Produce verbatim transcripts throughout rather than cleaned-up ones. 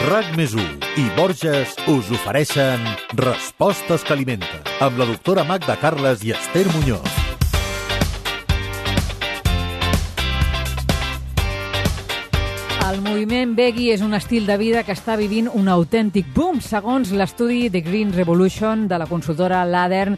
RAC més u i Borges us ofereixen Respostes que alimenten, amb la doctora Magda Carles i Esther Muñoz. El moviment veggie és un estil de vida que està vivint un autèntic boom. Segons l'estudi The Green Revolution de la consultora Ladern,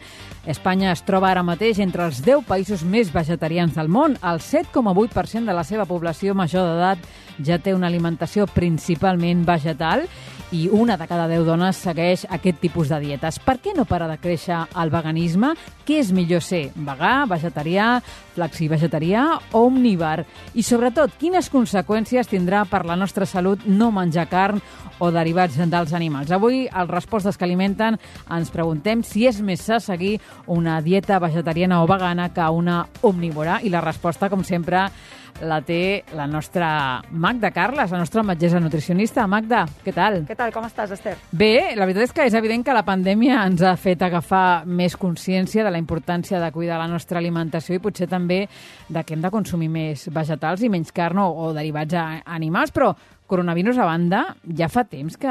Espanya es troba ara mateix entre els deu països més vegetarians del món. El set coma vuit per cent de la seva població major d'edat ja té una alimentació principalment vegetal i una de cada deu dones segueix aquest tipus de dietes. Per què no para de créixer el veganisme? Què és millor ser? Vegà, vegetarià, flexi-vegetarià o omnívar? I sobretot, quines conseqüències tindrà per la nostra salut no menjar carn o derivats dels animals? Avui, als Respostes que alimenten, ens preguntem si és més sa seguir una dieta vegetariana o vegana que una omnívora. I la resposta, com sempre, la té la nostra Magda Carles, la nostra metgessa nutricionista. Magda, què tal? Què tal? Com estàs, Esther? Bé, la veritat és que és evident que la pandèmia ens ha fet agafar més consciència de la importància de cuidar la nostra alimentació i potser també de que hem de consumir més vegetals i menys carn o, o derivats a animals, però coronavirus a banda, ja fa temps que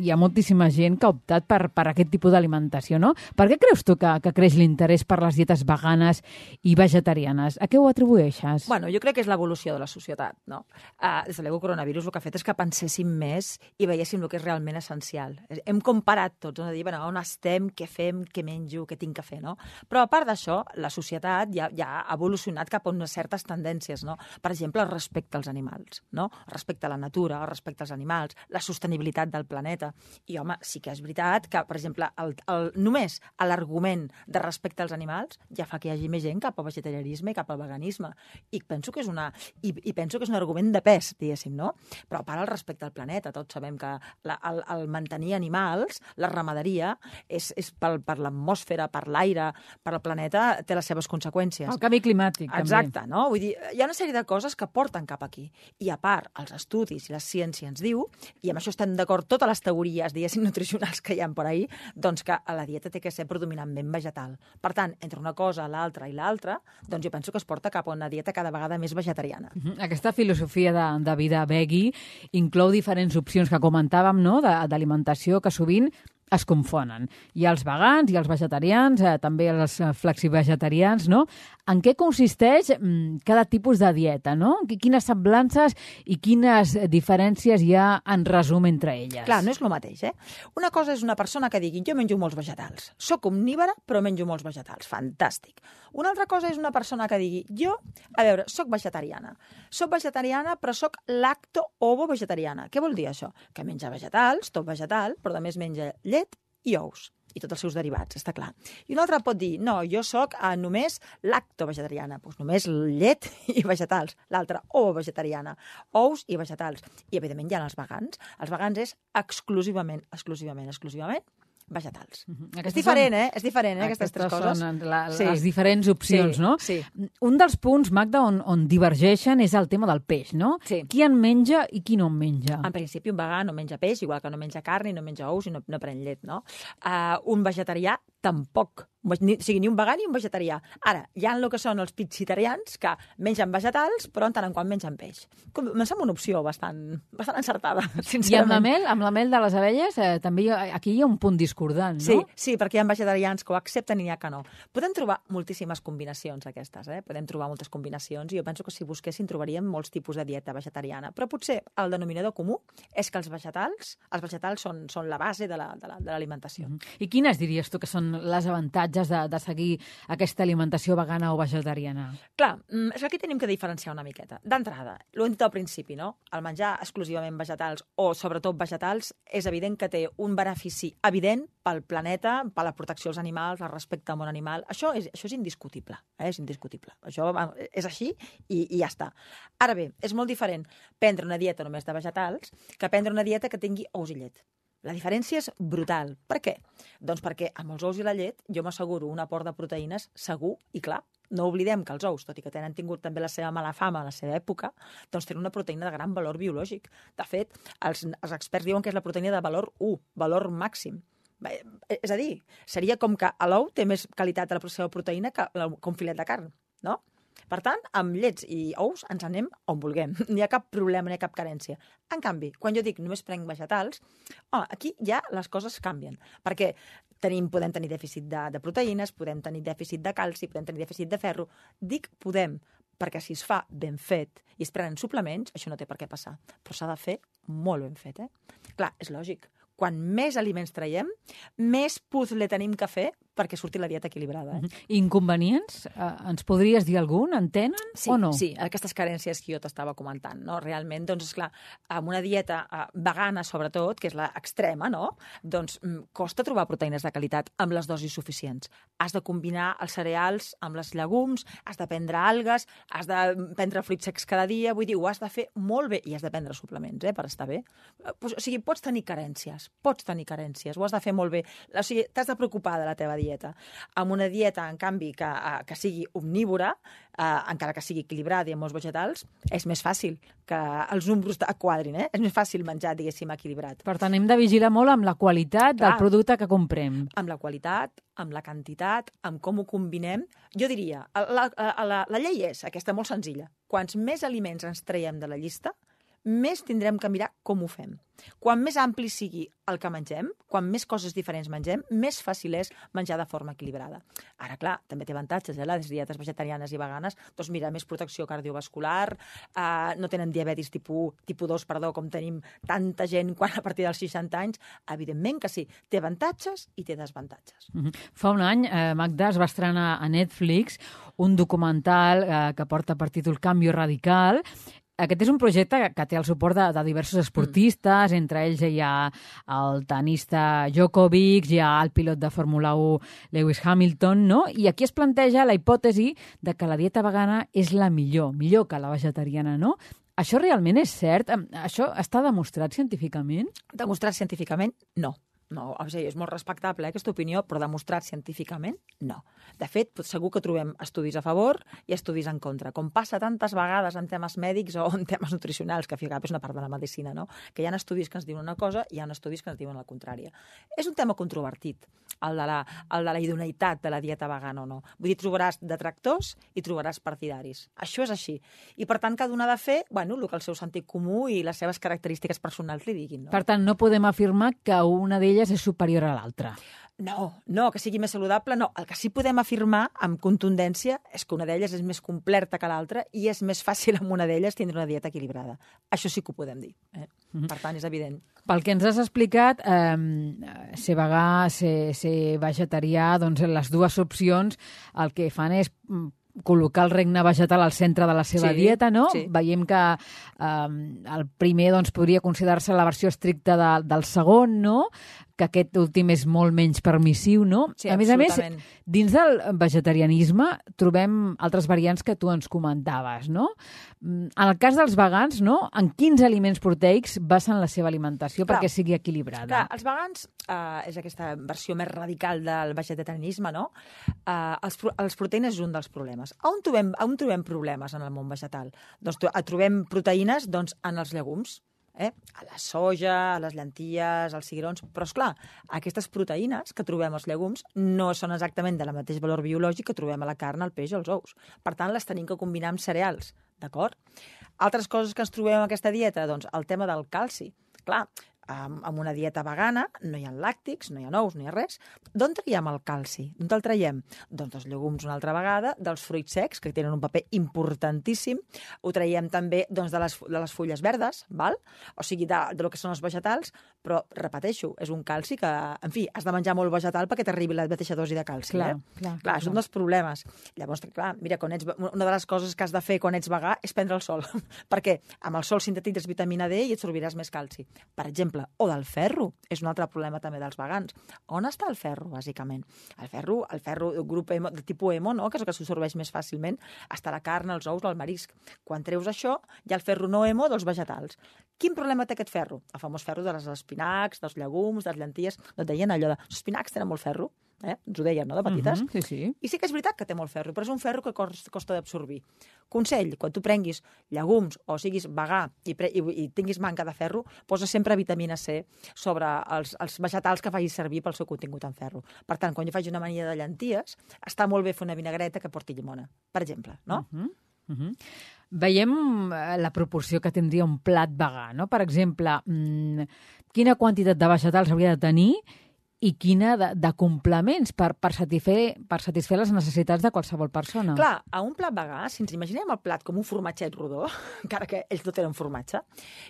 hi ha moltíssima gent que ha optat per, per aquest tipus d'alimentació, no? Per què creus tu que, que creix l'interès per les dietes veganes i vegetarianes? A què ho atribueixes? Bueno, jo crec que és l'evolució de la societat, no? Uh, des de l'ego coronavirus el que ha fet és que penséssim més i veiéssim el que és realment essencial. Hem comparat tots, no? De dir, bueno, on estem, què fem, què menjo, què tinc que fer, no? Però a part d'això, la societat ja, ja ha evolucionat cap a unes certes tendències, no? Per exemple, el respecte als animals, no? El respecte a la natura, el respecte als animals, la sostenibilitat del planeta. I, home, sí que és veritat que, per exemple, el, el, només l'argument de respecte als animals ja fa que hi hagi més gent cap al vegetarianisme i cap al veganisme. I penso que és, una, i, i penso que és un argument de pes, diguéssim, no? Però a part el respecte al planeta, tots sabem que la, el, el mantenir animals, la ramaderia, és, és per, per l'atmosfera, per l'aire, per al planeta, té les seves conseqüències. El canvi climàtic, també. Exacte, no? Vull dir, hi ha una sèrie de coses que porten cap aquí. I a part, els estudis i les ciència ens diu, i amb això estem d'acord totes les teories, diguéssim, nutricionals que hi ha per ahí, doncs que la dieta té que ser predominantment vegetal. Per tant, entre una cosa, l'altra i l'altra, doncs jo penso que es porta cap a una dieta cada vegada més vegetariana. Aquesta filosofia de, de vida veggie inclou diferents opcions que comentàvem, no?, d'alimentació que sovint es confonen. Hi ha els vegans, hi ha els vegetarians, eh, també els flexivegetarians, no? En què consisteix mm, cada tipus de dieta, no? Quines semblances i quines diferències hi ha en resum entre elles? Clar, no és el mateix, eh? Una cosa és una persona que digui jo menjo molts vegetals, soc omnívora però menjo molts vegetals, fantàstic. Una altra cosa és una persona que digui jo, a veure, soc vegetariana, soc vegetariana però soc lacto-ovo-vegetariana. Què vol dir això? Que menja vegetals, tot vegetal, però a més menja llet i ous i tots els seus derivats, està clar. I un altre pot dir, no, jo soc eh, només lacto-vegetariana, doncs només llet i vegetals. L'altra, ovo-vegetariana, ous i vegetals. I, evidentment, hi ha els vegans. Els vegans és exclusivament, exclusivament, exclusivament vegetals. Mm-hmm. És diferent, eh? És diferent, eh, aquestes tres coses. Són la, sí. les diferents opcions, sí, no? Sí. Un dels punts, Magda, on, on divergeixen és el tema del peix, no? Sí. Qui en menja i qui no en menja? En principi, un vegà no menja peix, igual que no menja carn i no menja ous i no, no pren llet, no? Uh, un vegetarià tampoc. Ni, o sigui, ni un vegà ni un vegetarià. Ara, hi ha el que són els pizzitarians que mengen vegetals, però en tant en quant mengen peix. Com, em sembla una opció bastant, bastant encertada, sincerament. I amb la mel, amb la mel de les abelles, eh, també hi ha, aquí hi ha un punt discordant, no? Sí, sí, perquè hi ha vegetarians que ho accepten i n'hi ha que no. Podem trobar moltíssimes combinacions aquestes, eh? Podem trobar moltes combinacions i jo penso que si busquéssim trobaríem molts tipus de dieta vegetariana. Però potser el denominador comú és que els vegetals, els vegetals són, són la base de l'alimentació. La, de la, de mm-hmm. I quines diries tu que són les avantatges de, de seguir aquesta alimentació vegana o vegetariana? Clar, és que aquí tenim que diferenciar una miqueta. D'entrada, l'ho hem dit al principi, no? El menjar exclusivament vegetals o sobretot vegetals és evident que té un benefici evident pel planeta, per la protecció dels animals, el respecte al món animal. Això és, això és indiscutible, eh? És indiscutible. Això és així i, i ja està. Ara bé, és molt diferent prendre una dieta només de vegetals que prendre una dieta que tingui ous i llet. La diferència és brutal. Per què? Doncs perquè amb els ous i la llet jo m'asseguro un aport de proteïnes segur i clar. No oblidem que els ous, tot i que tenen tingut també la seva mala fama a la seva època, doncs tenen una proteïna de gran valor biològic. De fet, els, els experts diuen que és la proteïna de valor u, valor màxim. És a dir, seria com que l'ou té més qualitat de la seva proteïna que un filet de carn, no? Per tant, amb llets i ous ens anem on vulguem. No hi ha cap problema, no hi ha cap carència. En canvi, quan jo dic només prenc vegetals, oh, aquí ja les coses canvien. Perquè tenim, podem tenir dèficit de, de proteïnes, podem tenir dèficit de calci, podem tenir dèficit de ferro. Dic podem, perquè si es fa ben fet i es prenen suplements, això no té per què passar. Però s'ha de fer molt ben fet, eh? Clar, és lògic. Quan més aliments traiem, més puzzle tenim que fer perquè surti la dieta equilibrada. Eh? Inconvenients? Eh, ens podries dir algun? En tenen sí, o no? Sí, aquestes carències que jo t'estava comentant. No? Realment, doncs, esclar, amb una dieta uh, vegana, sobretot, que és l'extrema, no? Doncs mm, costa trobar proteïnes de qualitat amb les dosis suficients. Has de combinar els cereals amb les llegums, has de prendre algues, has de prendre fruits secs cada dia, vull dir, ho has de fer molt bé i has de prendre suplements, eh, per estar bé. Uh, pues, o sigui, pots tenir carències, pots tenir carències, ho has de fer molt bé. O sigui, t'has de preocupar de la teva dieta. dieta. Amb una dieta, en canvi, que, que sigui omnívora, eh, encara que sigui equilibrada i amb molts vegetals, és més fàcil que els números quadrin, eh? És més fàcil menjar, diguéssim, equilibrat. Per tant, hem de vigilar molt amb la qualitat Clar, del producte que comprem. Amb la qualitat, amb la quantitat, amb com ho combinem. Jo diria, la, la, la, la llei és aquesta, molt senzilla. Quants més aliments ens traiem de la llista, més tindrem que mirar com ho fem. Quan més ampli sigui el que mengem, quan més coses diferents mengem, més fàcil és menjar de forma equilibrada. Ara, clar, també té avantatges, eh, les dietes vegetarianes i veganes, doncs mira, més protecció cardiovascular, eh, no tenen diabetis tipus, tipus dos, perdó, com tenim tanta gent quan a partir dels seixanta anys. Evidentment que sí, té avantatges i té desavantatges. Mm-hmm. Fa un any, eh, Magda, es va estrenar a Netflix un documental eh, que porta per títol Cambio Radical. Aquest és un projecte que té el suport de, de diversos esportistes, mm. entre ells hi ha el tenista Djokovic, hi ha el pilot de Fórmula u Lewis Hamilton, no? I aquí es planteja la hipòtesi de que la dieta vegana és la millor, millor que la vegetariana, no? Això realment és cert? Això està demostrat científicament? Demostrat científicament, no. No, o sigui, és molt respectable, eh, aquesta opinió, però demostrat científicament, no. De fet, segur que trobem estudis a favor i estudis en contra, com passa tantes vegades en temes mèdics o en temes nutricionals, que és una part de la medicina, no? Que hi ha estudis que ens diuen una cosa i hi ha estudis que ens diuen la contrària. És un tema controvertit, el de la, el de la idoneïtat de la dieta vegana o no. Vull dir, trobaràs detractors i trobaràs partidaris. Això és així. I, per tant, cada un ha de fer, bueno, el que el seu sentit comú i les seves característiques personals li diguin, no? Per tant, no podem afirmar que una d'elles és superior a l'altra. No, no, que sigui més saludable, no. El que sí podem afirmar amb contundència és que una d'elles és més completa que l'altra i és més fàcil amb una d'elles tindre una dieta equilibrada. Això sí que ho podem dir. Eh? Mm-hmm. Per tant, és evident. Pel que ens has explicat, eh, ser vegà, ser, ser vegetarià, doncs les dues opcions el que fan és col·locar el regne vegetal al centre de la seva sí, dieta, no? Sí. Veiem que eh, el primer doncs, podria considerar-se la versió estricta de, del segon, no? Que aquest últim és molt menys permissiu, no? Sí, a més a més, dins del vegetarianisme trobem altres variants que tu ens comentaves, no? En el cas dels vegans, no? En quins aliments proteics basen la seva alimentació clar, perquè sigui equilibrada? Clar, els vegans, eh, és aquesta versió més radical del vegetarianisme, no? Eh, els, els proteïnes és un dels problemes. On trobem, on trobem problemes en el món vegetal? Doncs trobem proteïnes doncs, en els llegums. Eh? A la soja, a les llenties, als cigrons... Però, esclar, aquestes proteïnes que trobem als llegums no són exactament de la mateix valor biològic que trobem a la carn, al peix o als ous. Per tant, les tenim que combinar amb cereals, d'acord? Altres coses que ens trobem en aquesta dieta, doncs el tema del calci. Clar, amb una dieta vegana no hi ha làctics, no hi ha ous, no hi ha res. D'on traiem el calci? D'on el traiem? Doncs dels llegums una altra vegada, dels fruits secs, que tenen un paper importantíssim. Ho traiem també doncs, de, les, de les fulles verdes, val? O sigui, de, de lo que són els vegetals, però, repeteixo, és un calci que, en fi, has de menjar molt vegetal perquè t'arribi la mateixa dosi de calci. Clar, eh? clar, clar, és un dels problemes. Llavors, clar, mira, quan ets, una de les coses que has de fer quan ets vegà és prendre el sol. Perquè amb el sol sintetitzes vitamina D i et sorbiràs més calci. Per exemple, o del ferro, és un altre problema també dels vegans. On està el ferro, bàsicament? El ferro, el ferro del grup hemo, de tipus hemo, no? Que és el que s'absorbeix més fàcilment, està la carn, els ous, el marisc. Quan treus això, hi ha el ferro no hemo dels vegetals. Quin problema té aquest ferro? El famós ferro de les espinacs, dels llegums, de les llenties. No et deien allò de... Els espinacs tenen molt ferro? Eh? Ens ho deien, no?, de petites. Uh -huh, sí, sí. I sí que és veritat que té molt ferro, però és un ferro que costa d'absorbir. Consell, quan tu prenguis llegums o siguis vegà i, pre i, i tinguis manca de ferro, posa sempre vitamina C sobre els, els vegetals que facis servir pel seu contingut en ferro. Per tant, quan jo faig una amanida de llenties, està molt bé fer una vinagreta que porti llimona, per exemple, no? Uh -huh. Uh -huh. Veiem la proporció que tindria un plat vegà, no? Per exemple, mmm, quina quantitat de vegetals hauria de tenir i quina de, de complements per, per, satisfer, per satisfer les necessitats de qualsevol persona. Clar, a un plat vegà, si ens imaginem el plat com un formatget rodó, encara que ells no tenen formatge,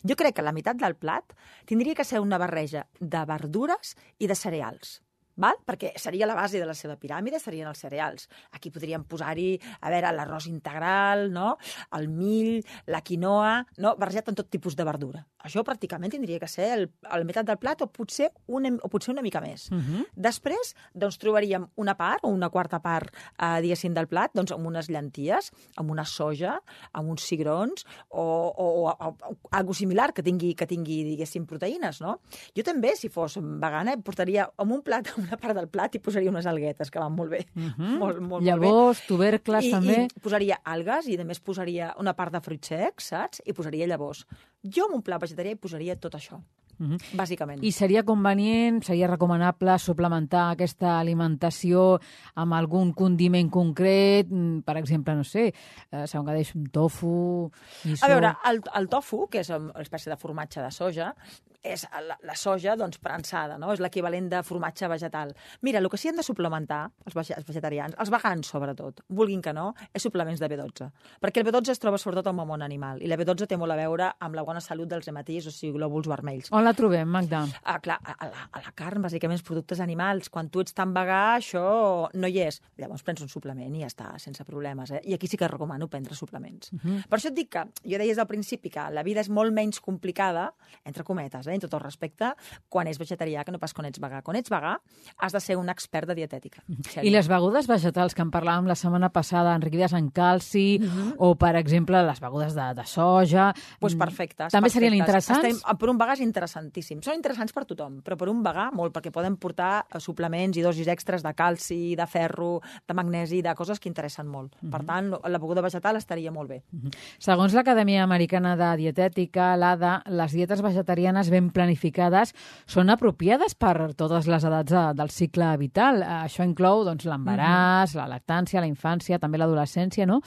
jo crec que la meitat del plat tindria que ser una barreja de verdures i de cereals. Val? Perquè seria la base de la seva piràmide, serien els cereals. Aquí podríem posar-hi, a veure, l'arròs integral, no?, el mill, la quinoa, no?, barrejat amb tot tipus de verdura. Això pràcticament tindria que ser el, el meitat del plat o potser una, o potser una mica més. Uh -huh. Després, doncs, trobaríem una part o una quarta part, eh, diguéssim, del plat, doncs, amb unes llenties, amb una soja, amb uns cigrons o, o, o, o, o algo similar que tingui, que tingui, diguéssim, proteïnes, no? Jo també, si fos vegana, portaria amb un plat una part del plat i posaria unes alguetes, que van molt bé. Uh -huh. molt, molt, Llavors, molt bé. tubercles, I, també. I posaria algues i, a més, posaria una part de fruits secs, saps? I posaria llavors. Jo, en un plat vegetarià, hi posaria tot això. Uh -huh. Bàsicament. I seria convenient, seria recomanable suplementar aquesta alimentació amb algun condiment concret, per exemple, no sé, eh, segons que deix un tofu... Miso... A veure, el, el tofu, que és una espècie de formatge de soja, és la, la soja, doncs, prensada, no? És l'equivalent de formatge vegetal. Mira, el que sí han de suplementar, els, vege els vegetarians, els vegans sobretot, vulguin que no, és suplements de B dotze. Perquè el B dotze es troba sobretot al món animal, i la B dotze té molt a veure amb la bona salut dels hematís, o sigui, glòbuls vermells. On la trobem, Magda? Ah, clar, a la, a la carn, bàsicament, els productes animals. Quan tu ets tan vegà, això no hi és. Llavors prens un suplement i ja està, sense problemes. Eh? I aquí sí que recomano prendre suplements. Uh -huh. Per això et dic que, jo deia des del principi que la vida és molt menys complicada, entre cometes, eh, en tot el respecte, quan és vegetarià que no pas quan ets vegà. Quan ets vegà has de ser un expert de dietètica. I les begudes vegetals que en parlàvem la setmana passada, enriquides en calci, uh -huh. o, per exemple, les begudes de, de soja... Pues perfectes. També perfectes. serien interessants? Estem, per un vegà és interessantíssim. Són interessants per tothom, però per un vegà molt, perquè poden portar suplements i dosis extres de calci, de ferro, de magnesi, de coses que interessen molt. Uh -huh. Per tant, la beguda vegetal estaria molt bé. Uh -huh. Segons l'Acadèmia Americana de Dietètica, l'A D A, les dietes vegetarianes ben planificades són apropiades per totes les edats de, del cicle vital. Això inclou doncs, l'embaràs, uh -huh. la lactància, la infància, també l'adolescència, no?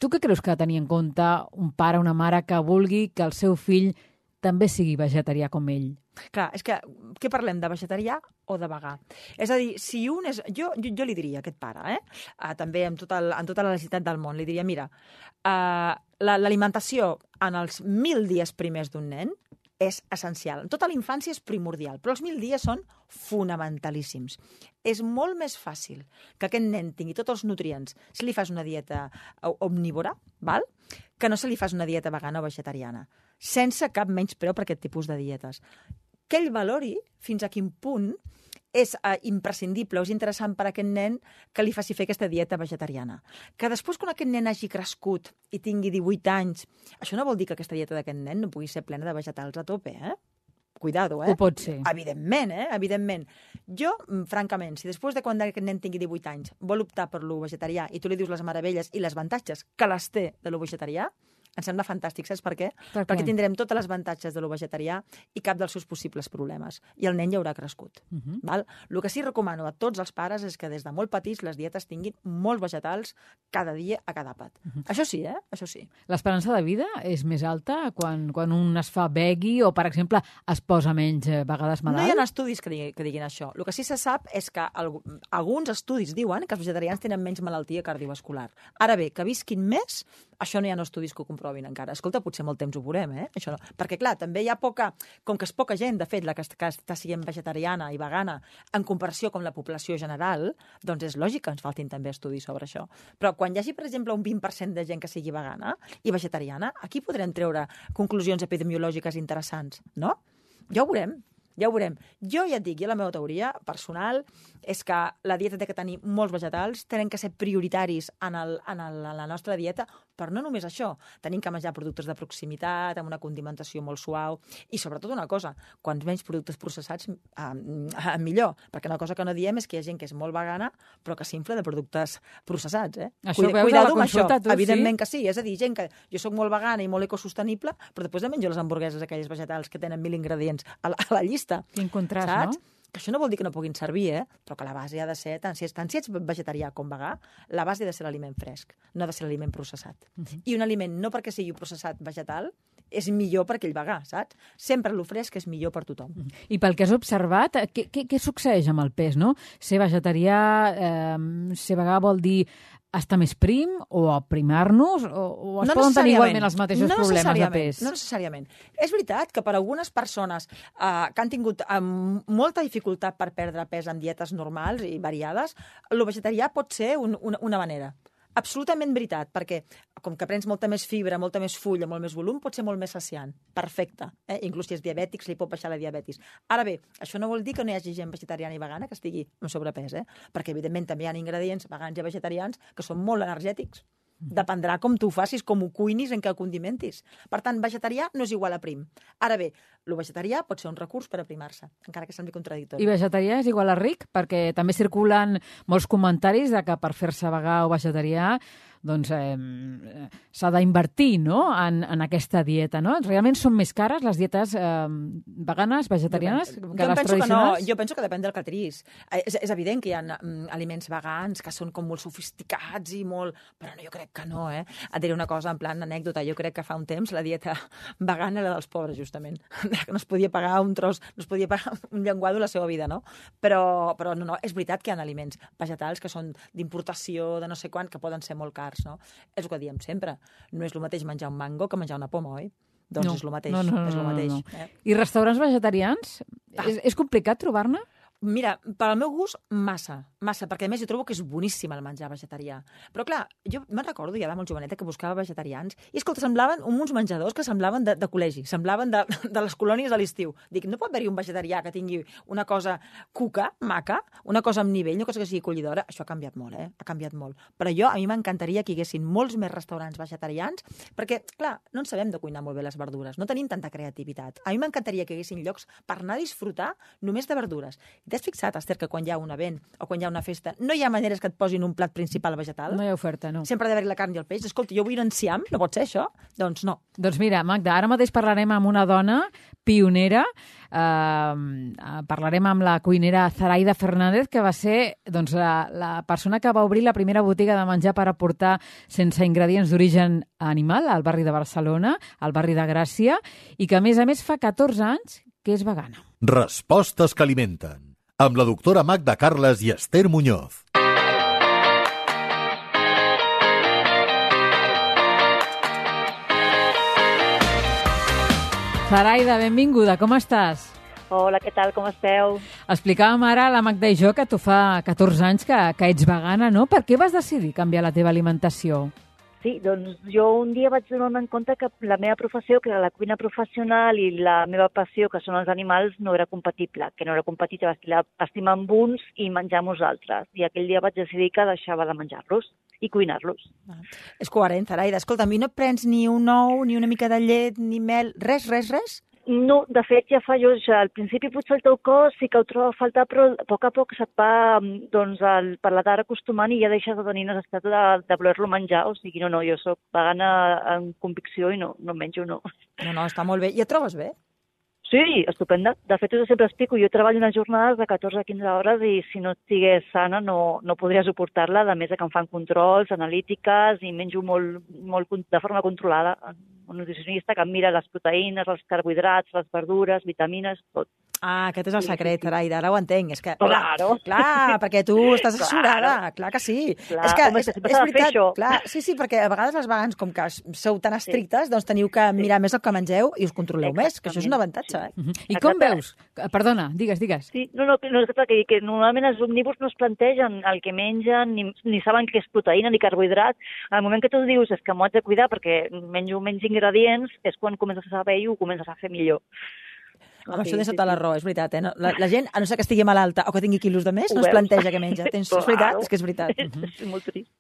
Tu què creus que ha de tenir en compte un pare o una mare que vulgui que el seu fill també sigui vegetarià com ell? Clar, és que, què parlem, de vegetarià o de vegà? És a dir, si un és... Jo, jo, jo li diria a aquest pare, eh? Uh, també amb, tot el, amb tota la necessitat del món, li diria, mira, uh, l'alimentació en els mil dies primers d'un nen és essencial. Tota la infància és primordial, però els mil dies són fonamentalíssims. És molt més fàcil que aquest nen tingui tots els nutrients si li fas una dieta omnívora, val? Que no se li fas una dieta vegana o vegetariana, sense cap menyspreu per aquest tipus de dietes. Que ell valori fins a quin punt és uh, imprescindible o és interessant per a aquest nen que li faci fer aquesta dieta vegetariana. Que després, quan aquest nen hagi crescut i tingui divuit anys, això no vol dir que aquesta dieta d'aquest nen no pugui ser plena de vegetals a tope, eh? Cuidado, eh? Ho pot ser. Evidentment, eh? Evidentment. Jo, francament, si després de quan aquest nen tingui divuit anys vol optar per lo vegetarià i tu li dius les meravelles i les avantatges que les té de lo vegetarià, em sembla fantàstic, saps per què? Per què? Perquè tindrem totes les avantatges de lo vegetarià i cap dels seus possibles problemes. I el nen ja haurà crescut. Uh -huh. Val? El que sí recomano a tots els pares és que des de molt petits les dietes tinguin molts vegetals cada dia a cada àpat. Uh -huh. Això sí, eh? Això sí. L'esperança de vida és més alta quan, quan un es fa veggie o, per exemple, es posa menys vegades malalt? No hi ha estudis que, digui, que diguin això. El que sí se sap és que el, alguns estudis diuen que els vegetarians tenen menys malaltia cardiovascular. Ara bé, que visquin més, això no hi ha estudis que ho comprovin encara. Escolta, potser molt temps ho veurem, eh? Això no. Perquè, clar, també hi ha poca... Com que és poca gent, de fet, la que, que està sent vegetariana i vegana en comparació amb la població general, doncs és lògic que ens faltin també estudis sobre això. Però quan hi hagi, per exemple, un vint per cent de gent que sigui vegana i vegetariana, aquí podrem treure conclusions epidemiològiques interessants, no? Ja ho veurem. Ja ho veurem. Jo ja et dic, jo la meva teoria personal és que la dieta té que tenir molts vegetals, tenen que ser prioritaris en, el, en, el, en la nostra dieta, Però no només això, tenim que menjar productes de proximitat, amb una condimentació molt suau, i sobretot una cosa, quants menys productes processats, eh, eh, millor, perquè una cosa que no diem és que hi ha gent que és molt vegana, però que s'infla de productes processats. Eh? Això Cuida, ho veus a la consulta, tu, evidentment sí? que sí, és a dir, gent que jo sóc molt vegana i molt ecosostenible, però després em menjo les hamburgueses aquelles vegetals que tenen mil ingredients a la, a la llista. Quin contrast, saps? no? Que això no vol dir que no puguin servir, eh? Però que la base ha de ser, tant si, tant si ets vegetarià com vegà, la base ha de ser l'aliment fresc, no ha de ser l'aliment processat. Uh-huh. I un aliment, no perquè sigui processat vegetal, és millor per aquell vegà, saps? Sempre el fresc és millor per tothom. Uh-huh. I pel que has observat, què, què, què succeeix amb el pes, no? Ser vegetarià, eh, ser vegà vol dir estar més prim o aprimar-nos o, o es no poden tenir igualment els mateixos no problemes de pes? No necessàriament. És veritat que per algunes persones eh, que han tingut eh, molta dificultat per perdre pes amb dietes normals i variades, el vegetarià pot ser un, una, una manera. Absolutament veritat, perquè com que prens molta més fibra, molta més fulla, molt més volum, pot ser molt més saciant. Perfecte. Eh? Inclús si és diabètic, se li pot baixar la diabetis. Ara bé, això no vol dir que no hi hagi gent vegetariana i vegana que estigui amb sobrepès, eh? Perquè evidentment també hi ha ingredients vegans i vegetarians que són molt energètics. Dependrà com tu ho facis, com ho cuinis, en què ho condimentis. Per tant, vegetarià no és igual a prim. Ara bé, el vegetarià pot ser un recurs per aprimar-se, encara que sembli contradictori. I vegetarià és igual a ric? Perquè també circulen molts comentaris de que per fer-se vegà o vegetarià doncs eh, s'ha d'invertir, no?, en, en aquesta dieta, no? Realment són més cares les dietes eh, veganes, vegetarianes, jo, que jo les tradicionals? No. Jo penso que depèn del que triïs. És, és evident que hi ha mm, aliments vegans que són com molt sofisticats i molt... Però no, jo crec que no, eh? Et diré una cosa, en plan anècdota, jo crec que fa un temps la dieta vegana era dels pobres, justament. No es podia pagar un tros, no es podia pagar un llenguado la seva vida, no? Però, però no, no, és veritat que hi ha aliments vegetals que són d'importació, de no sé quant, que poden ser molt cars. No? És el que diem sempre. No és el mateix menjar un mango que menjar una poma, oi? Doncs no, és el mateix. No, no, no, és el mateix no, no. Eh? I restaurants vegetarians? Ah. És, és complicat trobar-ne? Mira, per al meu gust, massa, massa, perquè a més jo trobo que és boníssim el menjar vegetarià. Però clar, jo me'n recordo ja de molt joveneta que buscava vegetarians i, escolta, semblaven uns menjadors que semblaven de, de col·legi, semblaven de, de les colònies a l'estiu. Dic, no pot haver-hi un vegetarià que tingui una cosa cuca, maca, una cosa amb nivell, una cosa que sigui acollidora. Això ha canviat molt, eh? Ha canviat molt. Però jo, a mi m'encantaria que hi haguessin molts més restaurants vegetarians, perquè, clar, no en sabem de cuinar molt bé les verdures, no tenim tanta creativitat. A mi m'encantaria que hi haguessin llocs per anar a disfrutar només de verdures. T'has fixat, Esther, que quan hi ha un event o quan hi ha una festa no hi ha maneres que et posin un plat principal vegetal? No hi ha oferta, no. Sempre ha d'haver-hi la carn i el peix. Escolta, jo vull un enciam, no pot ser això? Doncs no. Doncs mira, Magda, ara mateix parlarem amb una dona pionera, eh, parlarem amb la cuinera Zaraida Fernández, que va ser doncs, la, la persona que va obrir la primera botiga de menjar per aportar sense ingredients d'origen animal al barri de Barcelona, al barri de Gràcia, i que a més a més fa catorze anys que és vegana. Respostes que alimenten, amb la doctora Magda Carles i Esther Muñoz. Zaraida, benvinguda, com estàs? Hola, què tal, com esteu? Explicàvem ara a la Magda i jo que tu fa catorze anys que, que ets vegana, no? Per què vas decidir canviar la teva alimentació? Sí, doncs jo un dia vaig donar-me en compte que la meva professió, que era la cuina professional, i la meva passió, que són els animals, no era compatible, que no era compatible estimar amb uns i menjar amb uns altres. I aquell dia vaig decidir que deixava de menjar-los i cuinar-los. Ah, és coherent, Zaraida. Escolta, a mi no et prens ni un ou, ni una mica de llet, ni mel, res, res, res? No, de fet, ja fa jo, ja, al principi potser el teu cos sí que ho troba a faltar, però a poc a poc se't va, doncs, el, per l'edat acostumant i ja deixes de tenir necessitat de, de voler-lo menjar. O sigui, no, no, jo soc vegana en convicció i no, no menjo, no. No, no, està molt bé. I et trobes bé? Sí, estupenda. De fet, jo sempre explico, jo treballo unes jornades de catorze a quinze hores i si no estigués sana no, no podria suportar-la, a més de que em fan controls, analítiques i menjo molt, molt de forma controlada. Un nutricionista que em mira les proteïnes, els carbohidrats, les verdures, vitamines, tot. Ah, aquest és el secret, Zaraida, ara ho entenc. És que, claro. Clar, clar, perquè tu estàs assessorada, clar. clar que sí. Clar, és que home, és, és, és veritat, clar, sí, sí, perquè a vegades les vegans, com que sou tan estrictes, sí. doncs teniu que mirar sí. més el que mengeu i us controleu Exactament. més, que això és un avantatge. Eh? Uh -huh. I com Exacte. veus? Perdona, digues, digues. Sí, no, no, no que, que normalment els omnívors no es plantegen el que mengen, ni, ni saben què és proteïna ni carbohidrat. Al moment que tu dius és que m'ho haig de cuidar perquè menjo menys ingredients, és quan comences a saber i ho comences a fer millor. Home, Sí, això de sí, sota sí. l'arró, és veritat, eh? No, la, la gent, a no ser que estigui malalta o que tingui quilos de més, Ho no es veus? planteja què menja. Tens, és veritat, Claro. és que és veritat. És molt trist.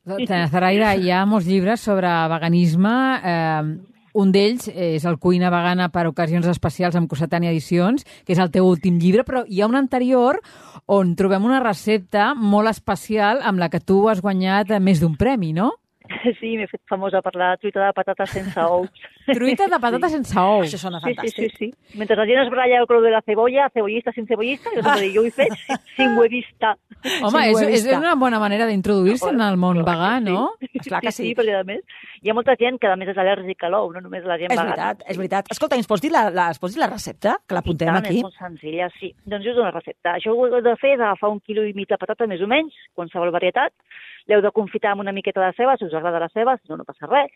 Zaraida, hi ha molts llibres sobre veganisme. Eh, un d'ells és el Cuina vegana per ocasions especials amb Cossetània Edicions, que és el teu últim llibre, però hi ha un anterior on trobem una recepta molt especial amb la que tu has guanyat més d'un premi, no? Sí, m'he fet famosa per la truita de patates sense ous. Truita de patata sense ous. Això sona Sí, sí, fantàstic. sí, sí. Mentre la gent es baralla el color de la cebolla, cebollista, sin cebollista, jo sempre dic, jo ho he fet sin huevista. Home, Sí, és, ho he és vist. una bona manera d'introduir-se en el món Clar que vegà, no? Esclar que sí. Sí, perquè a més hi ha molta gent que a més és al·lèrgica a l'ou, no només la gent És vegana. veritat, és veritat. Escolta, ens pots dir la, la, ens pots dir la recepta? Que l'apuntem Tant, aquí. És molt senzilla, sí. Doncs us dono una recepta. Això ho heu de fer és agafar un quilo i mig de patata, més o menys, qualsevol varietat. L'heu de confitar amb una miqueta de ceba, si us agrada la ceba, si no, no passa res.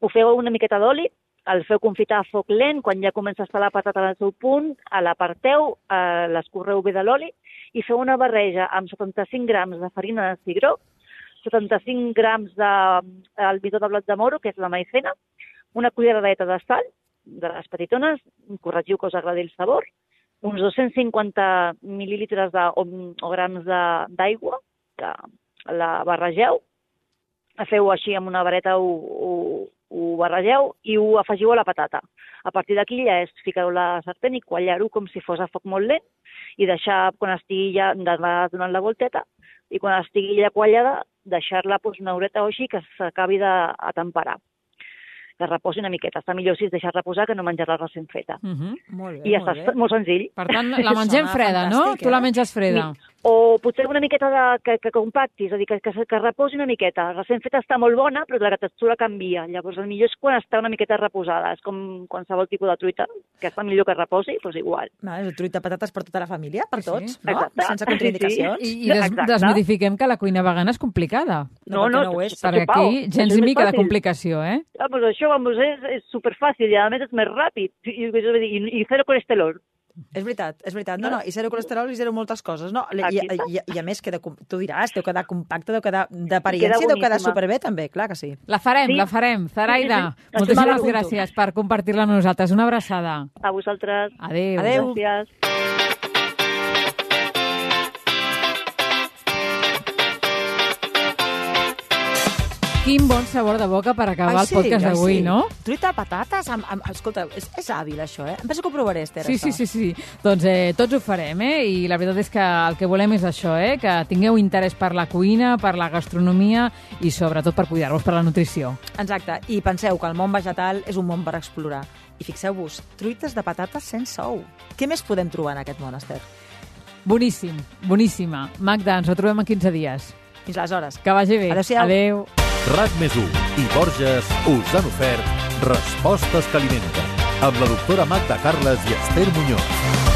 Ho feu una miqueta d'oli, el feu confitar a foc lent, quan ja comença a estar la patata al seu punt, a l'aparteu, eh, l'escorreu bé de l'oli i feu una barreja amb setanta-cinc grams de farina de cigró, setanta-cinc grams de el midó de blat de moro, que és la maicena, una culleradeta de sal, de les petitones, corregiu que us agradi el sabor, uns dos-cents cinquanta mil·lilitres de, o, o grams de- d'aigua, que la barregeu, feu així amb una vareta, ho, ho, ho barregeu i ho afegiu a la patata. A partir d'aquí ja és ficar-ho a la sartén i quallar-ho com si fos a foc molt lent i deixar, quan estigui ja, d'anar donant la volteta, i quan estigui ja quallada, deixar-la doncs, una horeta o així que s'acabi d'atemperar. Que reposi una miqueta. Està millor si es deixar reposar que no menjar-la recent feta. Uh -huh. Molt bé, I ja molt està, bé. molt senzill. Per tant, la mengem Sona freda, no? fantàstic, Tu la eh? menges freda. O potser una miqueta de, que, que compacti, és a dir, que, que, que reposi una miqueta. Recent feta està molt bona, però la textura canvia. Llavors, el millor és quan està una miqueta reposada. És com qualsevol tipus de truita, que està millor que reposi, doncs igual. Va, és el truita de patates per tota la família, per Sí, tots, sí. no? Exacte. Sense contraindicacions. I, i des, Exacte. desmitifiquem que la cuina vegana és complicada. No, perquè no ho és. Perquè aquí, gens ni mica de complicació, eh? Vamos, això vamos, és, és superfàcil i a més és més ràpid i, i, i, i zero colesterol. És veritat, és veritat. No, no, i zero colesterol i zero moltes coses, no? I, Aquí i, està. i, i a més, queda, com- tu diràs, deu quedar compacte, deu quedar d'apariència, deu quedar boníssima. superbé també, clar que sí. La farem, Sí. la farem. Zaraida, Sí, sí, sí. moltíssimes Això m'apunto. gràcies per compartir-la amb nosaltres. Una abraçada. A vosaltres. Adéu. Adéu. Gràcies. Quin bon sabor de boca per acabar Ai, el podcast ai, d'avui, sí. no? Truita de patates amb... amb escolta, és, és hàbil, això, eh? Em penso que ho provaré, Esther, Sí, això. sí, sí, sí. Doncs eh, tots ho farem, eh? I la veritat és que el que volem és això, eh? Que tingueu interès per la cuina, per la gastronomia i sobretot per cuidar-vos per la nutrició. Exacte, i penseu que el món vegetal és un món per explorar. I fixeu-vos, truites de patates sense ou. Què més podem trobar en aquest món, Esther? Boníssim, boníssima. Magda, ens retrobem en quinze dies. Fins aleshores. Que vagi bé. Adéu-siau. Adéu. RAC més u i Borges us han ofert Respostes que alimenten amb la doctora Magda Carles i Esther Muñoz.